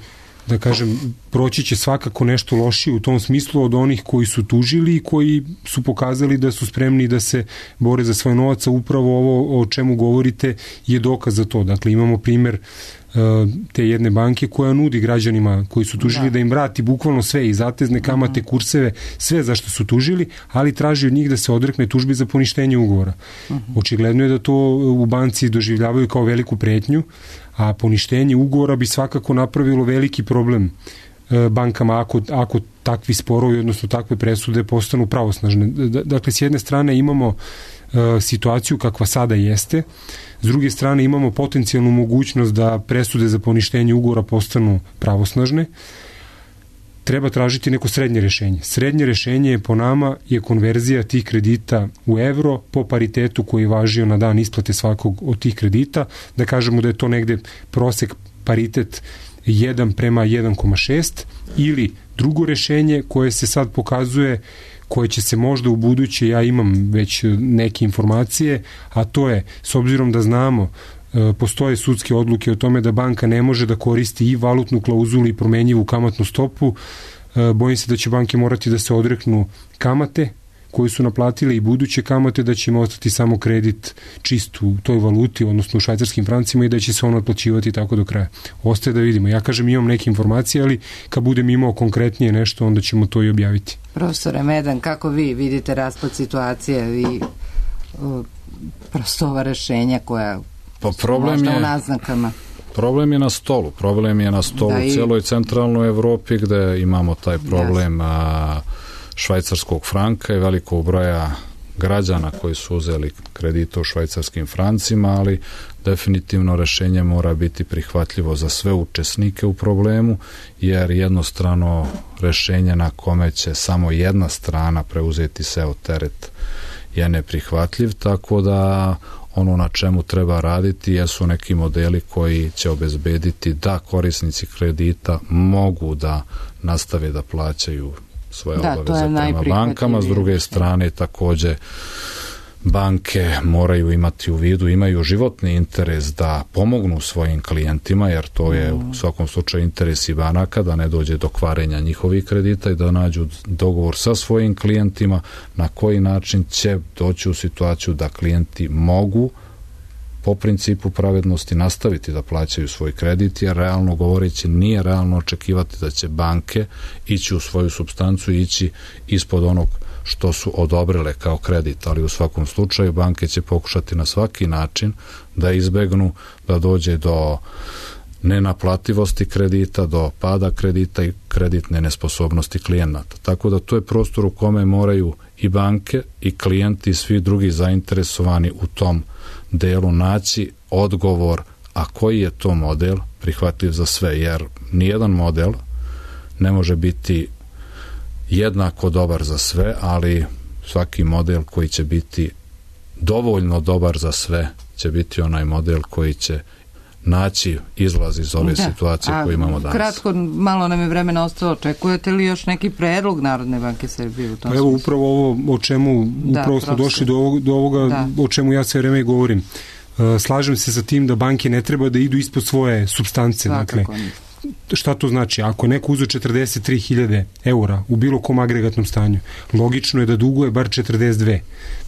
da kažem, proći će svakako nešto lošije u tom smislu od onih koji su tužili i koji su pokazali da su spremni da se bore za svoj novac, a upravo ovo o čemu govorite je dokaz za to. Dakle, imamo primjer te jedne banke koja nudi građanima koji su tužili da, da im vrati bukvalno sve, i zatezne kamate, kurseve, sve za što su tužili, ali traži od njih da se odrekne tužbi za poništenje ugovora. Uh-huh. Očigledno je da to u banci doživljavaju kao veliku pretnju, a poništenje ugovora bi svakako napravilo veliki problem bankama ako, ako takvi sporovi, odnosno takve presude postanu pravosnažne. Dakle, s jedne strane imamo situaciju kakva sada jeste, s druge strane imamo potencijalnu mogućnost da presude za poništenje ugovora postanu pravosnažne. Treba tražiti neko srednje rešenje. Srednje rešenje je po nama je konverzija tih kredita u evro po paritetu koji je važio na dan isplate svakog od tih kredita. Da kažemo da je to negde prosek paritet jedan prema jedan zarez šest, ili drugo rešenje koje se sad pokazuje, koje će se možda u buduće, ja imam već neke informacije, a to je, s obzirom da znamo, postoje sudske odluke o tome da banka ne može da koristi i valutnu klauzulu i promenjivu kamatnu stopu, bojim se da će banke morati da se odreknu kamate koji su naplatile i buduće kamate, da će im ostati samo kredit čist u toj valuti, odnosno u švajcarskim francima, i da će se on otplaćivati tako do kraja. Ostaje da vidimo. Ja kažem, imam neke informacije, ali kad budem imao konkretnije nešto, onda ćemo to i objaviti. Profesore Medan, kako vi vidite raspad situacije i uh, prosto ova rešenja koja pa problem možda je, u naznakama? Problem je na stolu. Problem je na stolu da, u celoj centralnoj Evropi, gde imamo taj problem a, švajcarskog franka i velikog broja građana koji su uzeli kredite u švajcarskim francima, ali definitivno rešenje mora biti prihvatljivo za sve učesnike u problemu, jer jednostrano rešenje na kome će samo jedna strana preuzeti seo teret je neprihvatljiv, tako da ono na čemu treba raditi jesu neki modeli koji će obezbediti da korisnici kredita mogu da nastave da plaćaju svoje da, obaveze prema bankama. S druge strane, takođe banke moraju imati u vidu, imaju životni interes da pomognu svojim klijentima, jer to je u svakom slučaju interes i banaka, da ne dođe do kvarenja njihovih kredita i da nađu dogovor sa svojim klijentima na koji način će doći u situaciju da klijenti mogu po principu pravednosti nastaviti da plaćaju svoj kredit, jer realno govoreći nije realno očekivati da će banke ići u svoju supstancu i ići ispod onog što su odobrile kao kredit, ali u svakom slučaju banke će pokušati na svaki način da izbegnu da dođe do nenaplativosti kredita, do pada kredita i kreditne nesposobnosti klijenata. Tako da to je prostor u kome moraju i banke i klijenti i svi drugi zainteresovani u tom delu naći odgovor, a koji je to model prihvatljiv za sve, jer nijedan model ne može biti jednako dobar za sve, ali svaki model koji će biti dovoljno dobar za sve će biti onaj model koji će naći izlaz iz ove da. situacije koju imamo danas. Kratko, malo nam je vremena ostalo. Očekujete li još neki predlog Narodne banke Srbije u tom Evo, upravo ovo o čemu da, upravo smo došli do, ovog, do ovoga da. o čemu ja sve vreme govorim. slažem se sa tim da banke ne treba da idu ispod svoje supstance. Dakle, šta to znači? Ako je neko uzeo četrdeset tri hiljade eura u bilo kom agregatnom stanju, logično je da duguje bar četrdeset dve.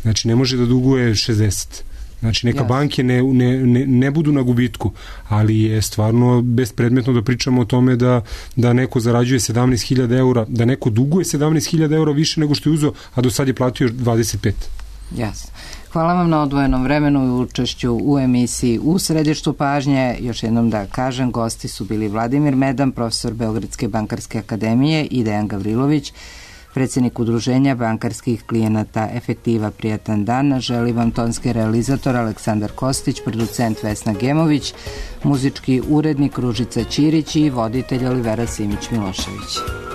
Znači, ne može da duguje šezdeset. Znači, neka yes. banke ne, ne, ne, ne budu na gubitku, ali je stvarno bespredmetno da pričamo o tome da, da neko zarađuje sedamnaest hiljada eura, da neko duguje sedamnaest hiljada eura više nego što je uzeo, a do sad je platio dvadeset pet. Jasno. Hvala vam na odvojenom vremenu i učešću u emisiji U središtu pažnje. Još jednom da kažem, gosti su bili Vladimir Medan, profesor Beogradske bankarske akademije, i Dejan Gavrilović, predsjednik udruženja bankarskih klijenata Efektiva. Prijatan dan. Želi vam tonski realizator Aleksandar Kostić, producent Vesna Gemović, muzički urednik Ružica Ćirić i voditelj Olivera Simić Milošević.